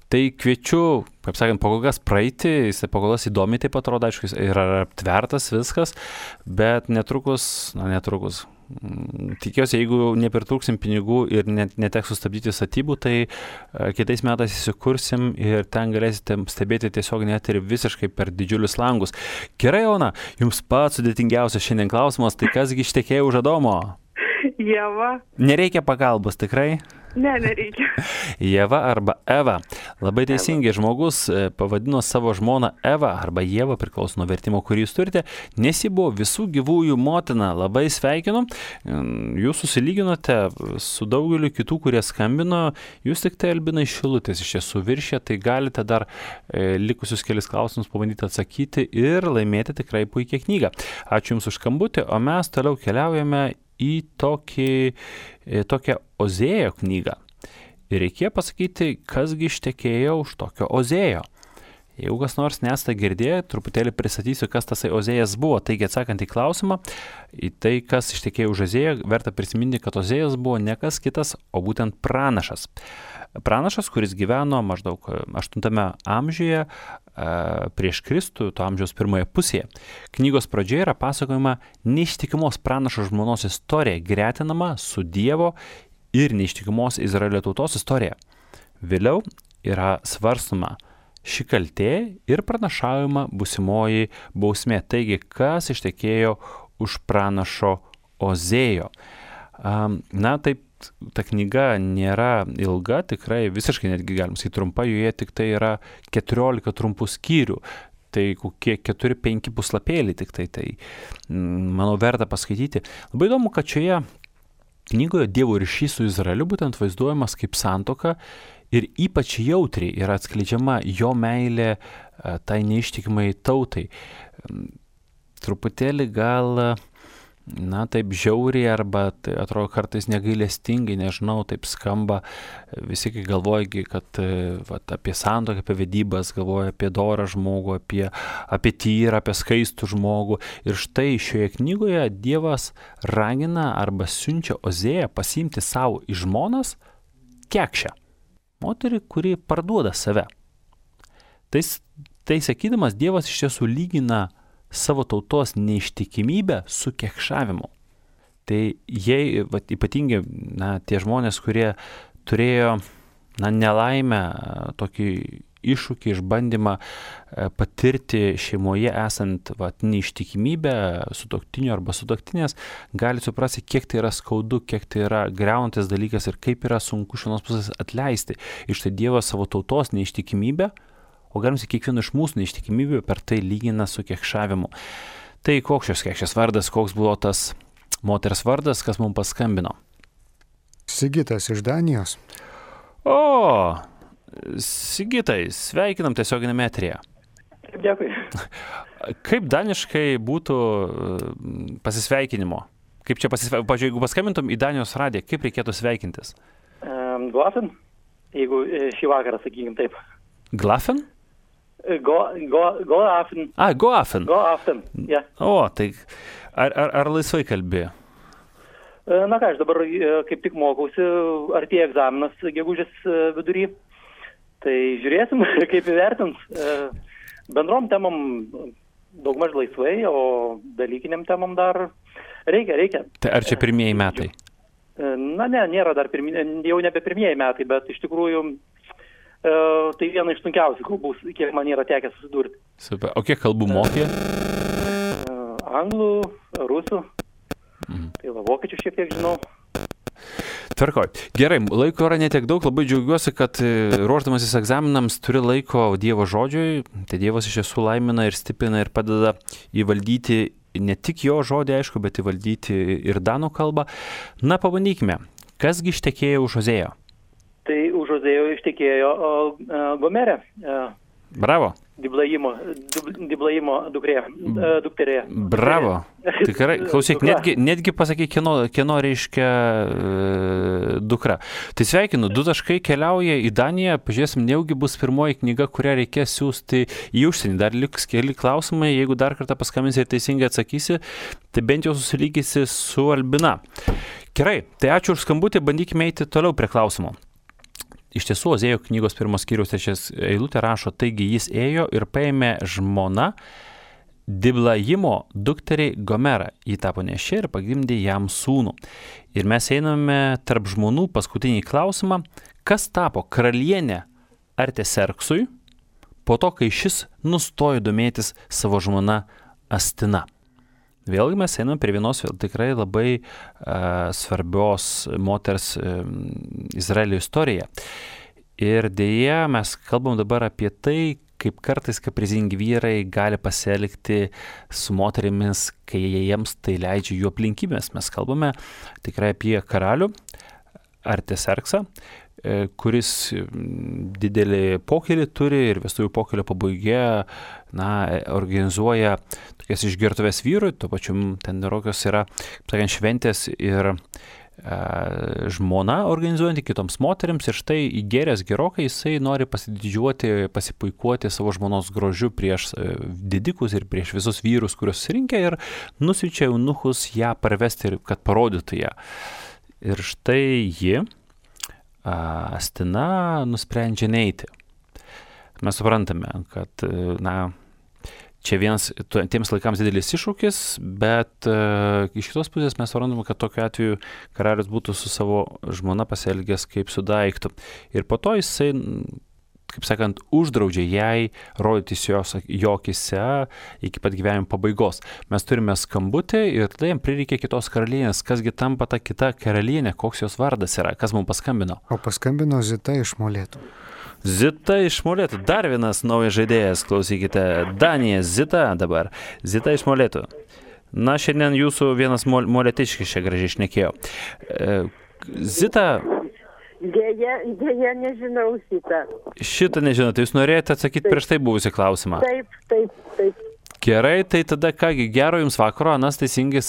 Tai kviečiu, kaip sakant, po kol kas praeiti, jis po kol kas įdomiai taip atrodo, aišku, yra aptvertas viskas, bet netrukus, tikiuosi, jeigu nepritrūksim pinigų ir neteks sustabdyti statybų, tai kitais metais įsikursim ir ten galėsite stebėti tiesiog net ir visiškai per didžiulius langus. Gerai, Ona, jums pats sudėtingiausias šiandien klausimas, tai kasgi ištekėjo už Adomo? Ieva. Nereikia pagalbos, tikrai? Ne, nereikia. Ieva arba Eva. Labai teisingai, žmogus pavadino savo žmoną Eva arba Ieva, priklauso nuo vertimo, kurį jūs turite, nes ji buvo visų gyvųjų motina. Labai sveikinu. Jūs susilyginote su daugeliu kitų, kurie skambino. Jūs tik tai Albina iš Šilutės iš tiesų viršė, tai galite dar likusius kelis klausimus pabandyti atsakyti ir laimėti tikrai puikią knygą. Ačiū Jums už skambutį, o mes toliau keliaujame į tokią Ozėjo knygą. Ir reikėjo pasakyti, kasgi ištekėjo už tokio Ozėjo. Jeigu kas nors nesate girdėję, truputėlį pristatysiu, kas tasai Ozėjas buvo. Taigi atsakant į klausimą, į tai, kas ištekėjo už Ozėją, verta prisiminti, kad Ozėjas buvo ne kas kitas, o būtent pranašas. Pranašas, kuris gyveno maždaug 8 amžiuje prieš Kristų, to amžiaus pirmoje pusėje. Knygos pradžioje yra pasakojama neištikimos pranašo žmonos istorija, gretinama su Dievo ir neištikimos Izraelio tautos istorija. Vėliau yra svarstoma ši kaltė ir pranašaujama būsimoji bausmė. Taigi, kas ištekėjo už pranašo Ozėjo? Na, taip, ta knyga nėra ilga, tikrai visiškai netgi galim sakyti trumpa, joje tik tai yra 14 trumpų skyrių. Tai kokie 4-5 puslapėliai tik tai, manau, verta paskaityti. Labai įdomu, kad šioje knygoje Dievo ryšys su Izraeliu būtent vaizduojamas kaip santuoka ir ypač jautriai yra atskleidžiama jo meilė tai neištikimai tautai. Truputėlį gal, na, taip žiauriai arba tai atrodo kartais negailestingai, nežinau, taip skamba. Visi kai galvoja, kad apie santuoką, apie vedybas, galvoja apie dorą žmogų, apie tyrą, apie skaistų žmogų. Ir štai šioje knygoje Dievas ragina arba siunčia Ozėją pasiimti savo į žmonas kekšę. Moterį, kuri parduoda save. Tai sakydamas, Dievas iš tiesų lygina savo tautos neištikimybę su kekšavimu. Tai jei ypatingai tie žmonės, kurie turėjo nelaimę, tokį iššūkį, išbandymą patirti šeimoje esant neištikimybę sutuoktinio arba sutuoktinės, gali suprasti, kiek tai yra skaudu, kiek tai yra griaunantis dalykas ir kaip yra sunku iš vienos pusės atleisti. Ir štai Dievas savo tautos neištikimybę, o galim sakyti, kiekvieno iš mūsų neištikimybę per tai lygina su kekšavimu. Tai koks šios kekšės vardas, koks buvo tas moters vardas, kas mums paskambino? Sigitas iš Danijos. O, Sigitai, sveikinam tiesioginėme eteryje. Dėkui. Kaip daniškai būtų pasisveikinimo? Kaip čia pavyzdžiui, jeigu paskambintum į Danijos radiją, kaip reikėtų sveikintis? Glafen, jeigu šį vakarą, sakykim taip. Glafen? Goafen. Goafen. Goafen, ja. O, tai ar laisvai kalbėjo? Na ką, aš dabar kaip tik mokausi, artėja egzaminas gegužės vidury. Tai žiūrėsim, kaip įvertins. Bendrom temam daugmaž laisvai, o dalykiniam temam dar reikia. Tai ar čia pirmieji metai? Na ne, nėra dar jau nebe pirmieji metai, bet iš tikrųjų tai viena iš sunkiausių kalbų, kiek man yra tekę susidurti. Super. O kiek kalbų mokė? Anglų, rusų, tai vokiečių šiek tiek žinau. Tvarkoj. Gerai, laiko yra netiek daug, labai džiaugiuosi, kad ruošdamasis egzaminams turi laiko Dievo žodžiui, tai Dievas iš tiesų laimina ir stiprina ir padeda įvaldyti ne tik jo žodį, aišku, bet įvaldyti ir danų kalbą. Na, pabandykime, kasgi ištekėjo už Ozėjo? Tai už Ozėjo ištekėjo Gomerė. Bravo. Diblajimo dukterė. Bravo. Tikrai, klausyk, netgi pasakai, kieno reiškia dukra. Tai sveikinu, 2 taškai keliauja į Daniją, pažiūrėsim, nejaugi bus pirmoji knyga, kurią reikės siųsti į užsienį. Dar liks keli klausimai, jeigu dar kartą paskambinsi ir teisingai atsakysi, tai bent jau susilygysi su Albina. Gerai, tai ačiū už skambutį, bandykime eiti toliau prie klausimo. Iš tiesų, Ozėjo knygos 1 skyriaus 3 eilutė rašo, taigi jis ėjo ir paėmė žmoną Diblajimo dukteriai Gomerą. Ji tapo neščia ir pagimdė jam sūnų. Ir mes einame tarp žmonų paskutinį klausimą, kas tapo karalienė Arteserksui po to, kai šis nustojo domėtis savo žmona Astina. Vėlgi mes einame prie vienos tikrai labai svarbios moters Izraelio istoriją. Ir dėja mes kalbam dabar apie tai, kaip kartais kaprizingi vyrai gali pasielgti su moterimis, kai jiems tai leidžia jų aplinkybės. Mes kalbame tikrai apie karalių Arteserksą, kuris didelį pokylį turi ir vestuvių pokylio pabaigoje organizuoja tokias išgertuves vyrui, tuo pačiu ten rokios yra, sakant, šventės ir žmona organizuojanti kitoms moteriams ir štai įgėręs gerokai jisai nori pasididžiuoti, pasipuikuoti savo žmonos grožiu prieš didikus ir prieš visus vyrus, kuriuos surinkę ir nusiunčia eunuchus ją parvesti, kad parodytų ją. Ir štai ji, Astina, nusprendžia neiti. Mes suprantame, kad, čia vienas tiems laikams didelis iššūkis, bet iš kitos pusės mes suprantame, kad tokiu atveju karalius būtų su savo žmona pasielgęs kaip su daiktu. Ir po to jisai, kaip sakant, uždraudžia jai rodytis jo akyse iki pat gyvenimo pabaigos. Mes turime skambutį ir tada jam prireikia kitos karalienės. Kasgi tampa ta kita karalienė, koks jos vardas yra, kas mums paskambino? O paskambino Zita iš Molėtų. Zita iš Molėtų, dar vienas naujas žaidėjas, klausykite, Danija, Zita dabar, Zita iš Molėtų. Na, šiandien jūsų vienas molėtiškis čia gražiai šnekėjo. Zita. Dėja, nežinau šitą. Šitą nežinote, jūs norėjote atsakyti prieš tai buvusį klausimą. Taip. Gerai, tai tada kągi, gero jums vakaro, Anas teisingai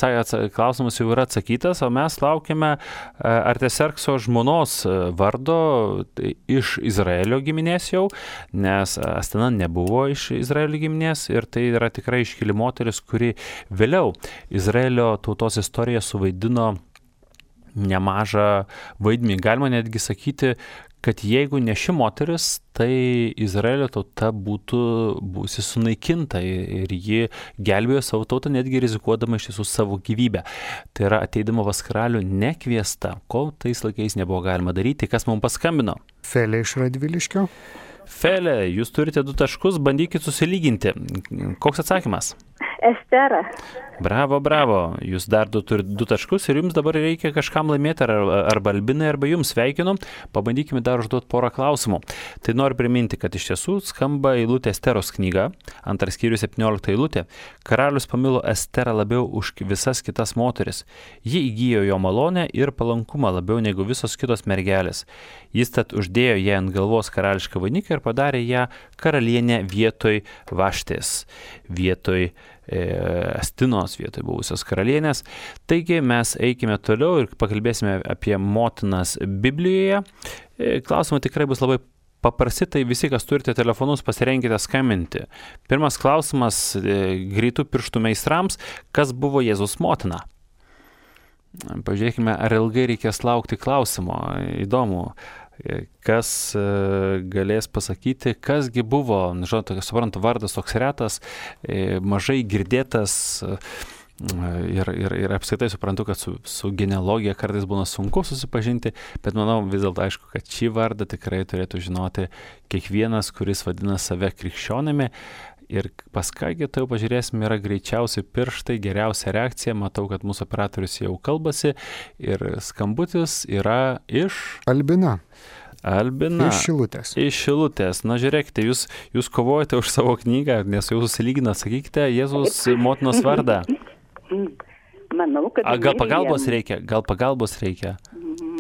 klausimas jau yra atsakytas, o mes laukiame Artaserkso žmonos vardo iš Izraelio giminės jau, nes Astina nebuvo iš Izraelio giminės ir tai yra tikrai iškili moteris, kuri vėliau Izraelio tautos istoriją suvaidino nemažą vaidmenį. Galima netgi sakyti, kad jeigu ne ši moteris, tai Izraelio tauta būsi sunaikinta ir ji gelbėjo savo tautą, netgi rizikuodama iš tiesų savo gyvybę. Tai yra ateidama pas karalių nekviesta, ko tais laikais nebuvo galima daryti. Kas mums paskambino? Felė iš Radviliškio. Felė, jūs turite 2 taškus, bandykit susilyginti. Koks atsakymas? Estera. Bravo. Jūs dar turite 2 taškus ir jums dabar reikia kažkam laimėti, arba Albinai, arba jums. Sveikinu. Pabandykime dar užduoti porą klausimų. Tai noriu priminti, kad iš tiesų skamba eilutė Esteros knyga, 2 skyrius 17 eilutė. Karalius pamilo Esterą labiau už visas kitas moteris. Ji įgijo jo malonę ir palankumą labiau negu visos kitos mergelės. Jis tad uždėjo ją ant galvos karališką vainiką ir padarė ją karalienę vietoj Vaštės, vietoj Astinos, vietoj buvusios karalienės. Taigi mes eikime toliau ir pakalbėsime apie motinas Biblijoje. Klausimai tikrai bus labai paprasti, tai visi, kas turite telefonus, pasirenkite skambinti. Pirmas klausimas greitų pirštų meistrams, kas buvo Jėzaus motina? Pažiūrėkime, ar ilgai reikės laukti klausimo. Įdomu. Kas galės pasakyti, kasgi buvo, žinot, suprantu, vardas toks retas, mažai girdėtas ir apskritai suprantu, kad su genealogija kartais būna sunku susipažinti, bet manau vis dėlto aišku, kad šį vardą tikrai turėtų žinoti kiekvienas, kuris vadina save krikščionimi. Ir pas kągi tai jau pažiūrėsim, yra greičiausiai pirštai, geriausia reakcija. Matau, kad mūsų operatorius jau kalbasi ir skambutis yra iš... Albina. Iš Šilutės. Iš Šilutės. Na, žiūrėkite, jūs kovojate už savo knygą, nes jau susilyginat, sakykite Jėzaus motinos vardą. Manau, kad Gal pagalbos reikia?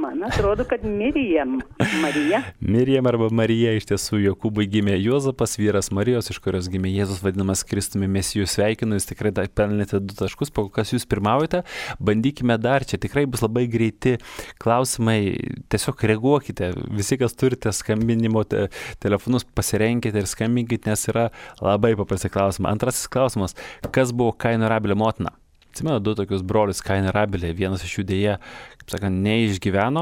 Man atrodo, kad Miriam. Marija. Miriam arba Marija, iš tiesų Jokūbui gimė Juozapas, vyras Marijos, iš kurios gimė Jėzus, vadinamas Kristumi Mesiju. Sveikinu, jūs tikrai pelnėte 2 taškus, po kas jūs pirmaujate. Bandykime dar, čia tikrai bus labai greiti klausimai, tiesiog reaguokite. Visi, kas turite skambinimo telefonus, pasirenkite ir skambinkite, nes yra labai paprasti klausimai. Antrasis klausimas, kas buvo Kaino ir Abelio motina? Atsimenu 2 tokius brolius, Kainą ir Abelį, vienas iš jų dėja, kaip sakant, neišgyveno,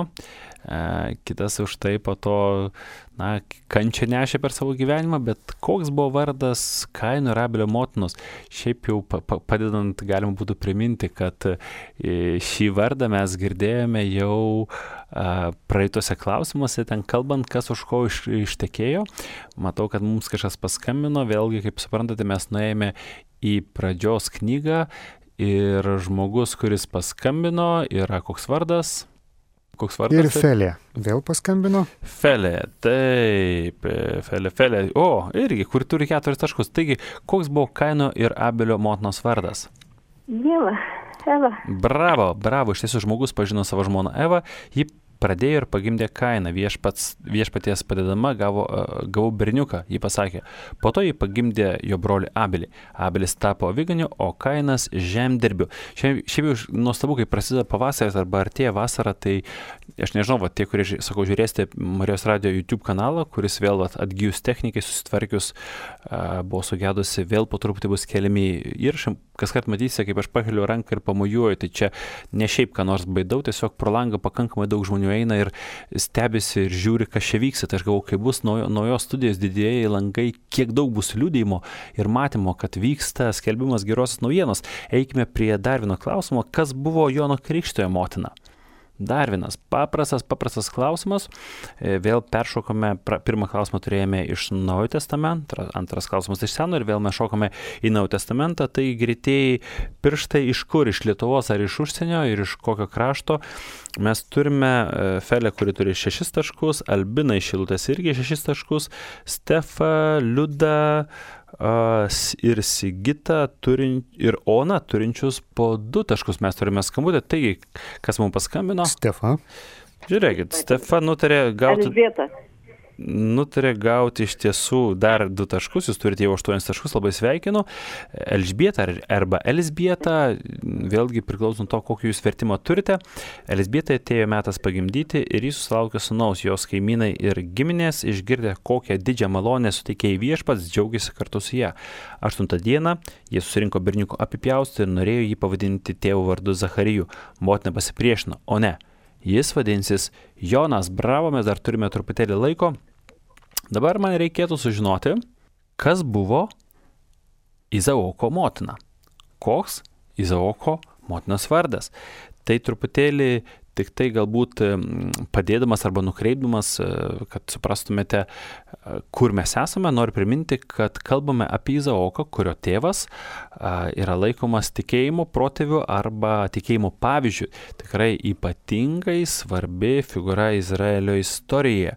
kitas už tai po to, kančią nešė per savo gyvenimą, bet koks buvo vardas Kaino ir Abelio motinos? Šiaip jau padedant galima būtų priminti, kad šį vardą mes girdėjome jau praeitose klausimuose, ten kalbant, kas už ko ištekėjo. Matau, kad mums kažkas paskambino, vėlgi, kaip suprantate, mes nuėjome į pradžios knygą. Ir žmogus, kuris paskambino, yra koks vardas? Ir Felė. Vėl paskambino? Felė, taip, Felė. O, irgi, kur turi 4 taškus. Taigi, koks buvo Kaino ir Abelio motinos vardas? Eva. Bravo, iš tiesų žmogus pažino savo žmoną Evą. Ji pradėjo ir pagimdė Kainą. Viešpaties padedama gavau berniuką, ji pasakė. Po to ji pagimdė jo brolį Abelį. Abelis tapo aviganiu, o Kainas žemdirbiu. Šiaip jau nuostabu, kai prasideda pavasaris arba artėja vasara, tai aš nežinau, tie, kurie, sakau, žiūrėsite Marijos radio YouTube kanalą, kuris vėl atgyjus technikai, susitvarkius, buvo sugedusi, vėl po truputį bus keliami įrašai. Kaskart matysite, kaip aš pakeliu ranką ir pamojuoju, tai čia ne šiaip ką nors baidau, tiesiog pro langą pakankamai daug žmonių eina ir stebisi ir žiūri, kas čia vyksta. Tai aš galvoju, kai bus naujos studijos didieji langai, kiek daug bus liudijimo ir matymo, kad vyksta skelbimas gerosios naujienos. Eikime prie dar vieno klausimo, kas buvo Jono Krikštytojo motina. Dar vienas paprastas klausimas. Vėl peršokome, pirmą klausimą turėjome iš Naujojo testamento, antras klausimas iš Seno ir vėl mes šokame į Naujojo testamentą. Tai greitieji pirštai iš kur? Iš Lietuvos ar iš užsienio ir iš kokio krašto? Mes turime Felę, kuri turi 6 taškus, Albiną iš Šilutės irgi 6 taškus, Stefa, Liuda ir Sigita ir Ona turinčius po 2 taškus. Mes turime skambutę. Taigi, kas mums paskambino? Stefa. Žiūrėkit, Stefa nutarė gauti iš tiesų dar 2 taškus, jūs turite jau 8 taškus, labai sveikinu. Elžbieta arba Elzbieta, vėlgi priklauso nuo to, kokį jūs vertimą turite. Elzbietai atėjo metas pagimdyti ir jis susilaukė sūnaus, jos kaimynai ir giminės, išgirdę kokią didžią malonę suteikė Viešpats, džiaugiasi kartu su ją. 8 dieną jie susirinko berniuko apipjaustį ir norėjo jį pavadinti tėvo vardu Zachariju. Motina pasipriešino, o ne. Jis vadinsis Jonas. Bravo, mes dar turime truputėlį laiko. Dabar man reikėtų sužinoti, kas buvo Izaoko motina. Koks Izaoko motinos vardas. Tai truputėlį tik tai galbūt padėdamas arba nukreipdamas, kad suprastumėte, kur mes esame, noriu priminti, kad kalbame apie Izaoką, kurio tėvas yra laikomas tikėjimo protėviu arba tikėjimo pavyzdžiu. Tikrai ypatingai svarbi figūra Izraelio istorijoje.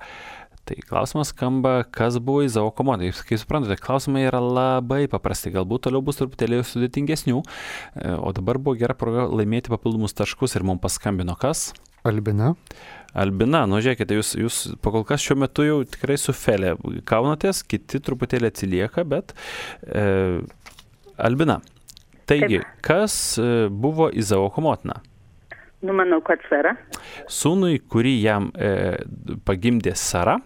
Tai klausimas skamba, kas buvo Izaoko motina. Kaip suprantate, klausimai yra labai paprasti, galbūt toliau bus truputėlį sudėtingesnių, o dabar buvo gera proga laimėti papildomus taškus ir mums paskambino kas? Albina. Albina, žiūrėkite, jūs pakol kas šiuo metu jau tikrai su Felė kaunatės, kiti truputėlį atsilieka, bet Albina, taigi, kas buvo Izaoko motina? Manau, kad Sara. Sūnui, kurį jam pagimdė Sara,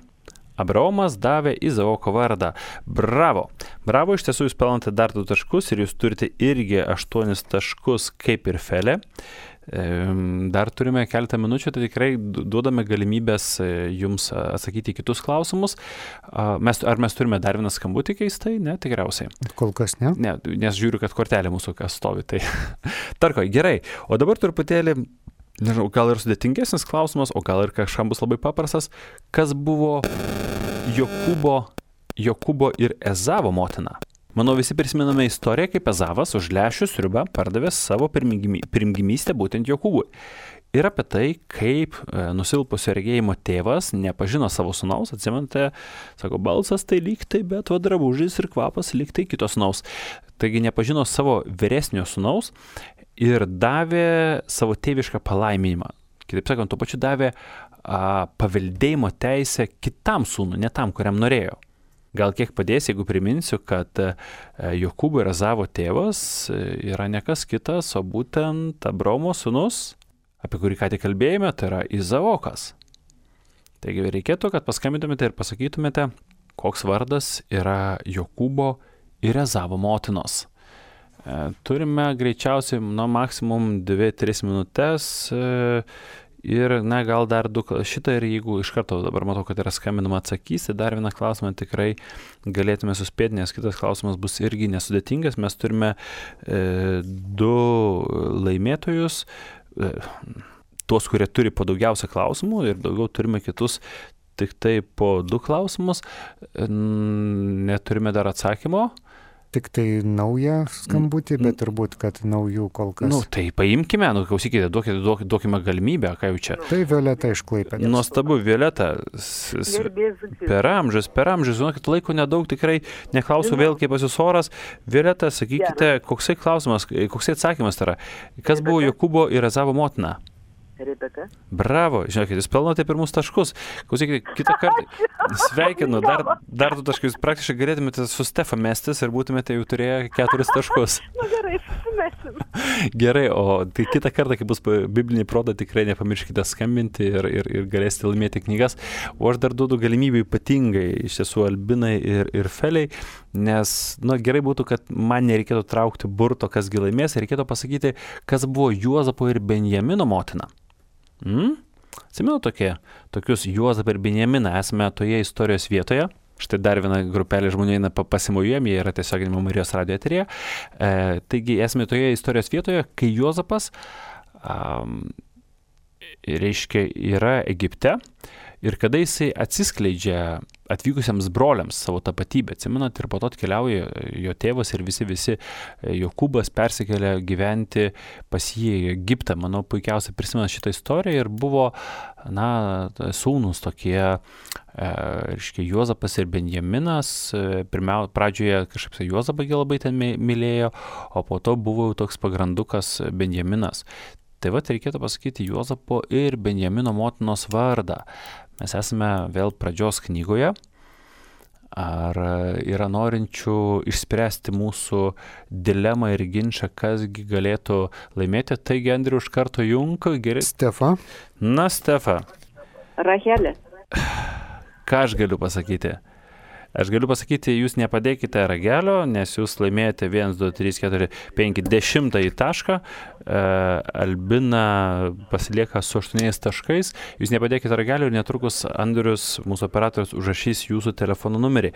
Abraomas davė Izaoko vardą. Bravo. Bravo, iš tiesų jūs pelnate dar 2 taškus ir jūs turite irgi 8 taškus kaip ir Felė. Dar turime keletą minučių, tai tikrai duodame galimybės jums atsakyti į kitus klausimus. Ar mes turime dar vieną skambutį keistai? Ne, tikriausiai. Kol kas ne. Ne, nes žiūriu, kad kortelė mūsų kas stovi. Tai tarkoj, gerai. O dabar truputėlį, nežinau, gal ir sudėtingesnis klausimas, o gal ir kažkam bus labai paprastas. Kas buvo Jokūbo ir Ezavo motina? Manau, visi prisimename istoriją, kaip Ezavas už lęšių sriubą pardavė savo pirmgimystę būtent Jokūbui. Ir apie tai, kaip nusilpusio regėjimo tėvas nepažino savo sūnaus, atsimenate, sako, balsas tai lyg tai, bet drabužis ir kvapas lyg tai kito sūnaus. Taigi nepažino savo vyresnio sūnaus ir davė savo tėvišką palaiminimą. Kitaip sakant, tuo pačiu davė paveldėjimo teisę kitam sūnui, ne tam, kuriam norėjo. Gal kiek padės, jeigu priminsiu, kad Jokūbo ir Ezavo tėvas yra ne kas kitas, o būtent Abraomo sūnus, apie kurį ką tik kalbėjome, tai yra Izaokas. Taigi reikėtų, kad paskambintumėte ir pasakytumėte, koks vardas yra Jokūbo ir Ezavo motinos. Turime greičiausiai, maksimum 2-3 minutės ir, gal dar 2 šitą ir jeigu iš karto dabar matau, kad yra skambinama atsakysi, dar vieną klausimą tikrai galėtume suspėti, nes kitas klausimas bus irgi nesudėtingas. Mes turime 2 laimėtojus, tuos, kurie turi po daugiausia klausimų ir daugiau turime kitus tik tai po 2 klausimus. Neturime dar atsakymo. Tik tai naują skambutį, bet turbūt, kad naujų kol kas. Tai paimkime, klausykite, duokime galimybę, ką jau čia. Tai Violeta iš Klaipėdos. Nuostabu, Violeta, per amžius, žinokit, laiko nedaug, tikrai neklausiu vėl, kaip pas jūs oras. Violeta, sakykite, koksai klausimas, koksai atsakymas tai yra. Kas buvo Jokūbo ir Ezavo motina? Rebeka. Bravo, žinokit, jūs pelnote pirmus taškus. Klausykite, kitą kartą sveikinu, dar 2 taškus. Praktiškai galėtumėte su Stefa mestis ir būtumėte jau turėję 4 taškus. Na gerai, susimesim. Gerai, o tai kitą kartą, kai bus bibliniai protai, tikrai nepamirškite skambinti ir galėsite laimėti knygas. O aš dar duodu galimybę ypatingai iš tiesų Albinai ir Feliai, nes, gerai būtų, kad man nereikėtų traukti burto, kas gi laimės, reikėtų pasakyti, kas buvo Juozapo ir Benjamino motina. Atsimenu tokius Juozapą ir Benjaminą, esame toje istorijos vietoje. Štai dar viena grupelė žmonių eina pasimojuojam, jie yra tiesioginimo Marijos radijo eteryje. Taigi esame toje istorijos vietoje, kai Juozapas reiškia yra Egipte ir kada jisai atsiskleidžia atvykusiems broliams savo tapatybę, atsimenat, ir po to atkeliauja jo tėvas ir visi Jokūbas persikelia gyventi pas jį į Egiptą. Manau, puikiausiai prisimena šitą istoriją ir buvo, sūnus tokie, reiškia, Juozapas ir Benjaminas. Pradžioje kažkaip Juozapą labai ten mylėjo, o po to buvo toks pagrandukas Benjaminas. Tai va, reikėtų pasakyti Juozapo ir Benjamino motinos vardą. Mes esame vėl pradžios knygoje. Ar yra norinčių išspręsti mūsų dilemą ir ginčą, kasgi galėtų laimėti? Taigi, Andriu, iš karto junk. Gerai. Stefa. Na, Stefa. Rachelė. Ką aš galiu pasakyti? Aš galiu pasakyti, jūs nepadėkite ragelio, nes jūs laimėjote 1, 2, 3, 4, 5, 10 tašką. Albina pasilieka su 8 taškais. Jūs nepadėkite ragelio ir netrukus Andrius, mūsų operatorius, užrašys jūsų telefono numerį.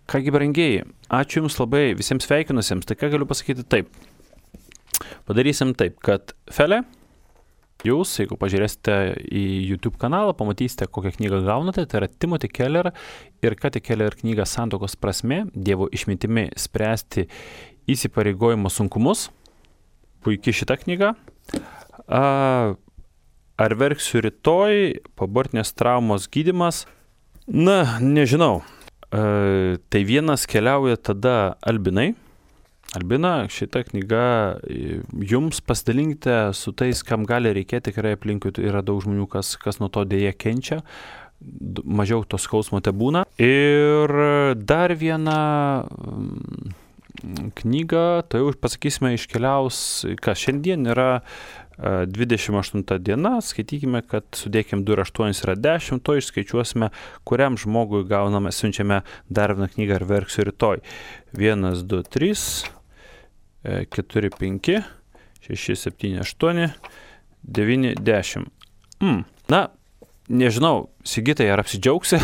Kągi, brangieji, ačiū Jums labai visiems sveikinusiems. Tai ką galiu pasakyti taip. Padarysim taip, kad Felė, jūs, jeigu pažiūrėsite į YouTube kanalą, pamatysite, kokią knygą gaunate. Tai yra Timothy Keller ir Kathy Keller knyga Santuokos prasmė, Dievo išmintimi spręsti įsipareigojimo sunkumus. Puikiai šita knyga. Ar verksiu rytoj, poabortinės traumos gydymas? Na, nežinau. Tai vienas keliauja tada Albinai. Albina, šita knyga jums pasidalinkite su tais, kam gali reikėti, tikrai aplinkui yra daug žmonių, kas nuo to dėja kenčia, mažiau to skausmo te būna. Ir dar viena knyga, tai jau pasakysime, iškeliaus, kas šiandien yra 28 diena, skaitykime, kad sudėkim 2 ir 8 yra 10, to išskaičiuosime, kuriam žmogui gauname, siunčiame dar vieną knygą ar verksiu rytoj. 1, 2, 3, 4, 5, 6, 7, 8, 9, 10. Na, nežinau, Sigitai, ar apsidžiaugsi,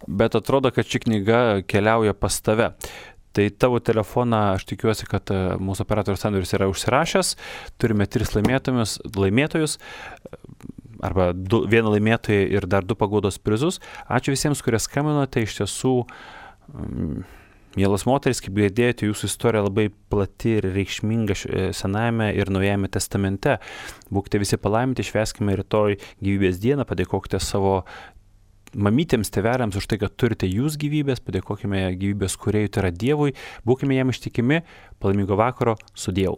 bet atrodo, kad ši knyga keliauja pas tave. Tai tavo telefoną, aš tikiuosi, kad mūsų operatorius Andrius yra užsirašęs. Turime 3 laimėtojus, arba 1 laimėtoją ir dar 2 paguodos prizus. Ačiū visiems, kurie skambinote. Iš tiesų, mielas moteris, kaip girdėjote, jūsų istorija labai plati ir reikšminga Senajame ir Naujajame testamente. Būkite visi palaiminti, švęskime rytoj gyvybės dieną, padėkokite savo mamytėms, tėveliams už tai, kad turite jūs gyvybės, padėkokime gyvybės kūrėjui, tai yra Dievui, būkime jam ištikimi, palaimingo vakaro, su Dievu.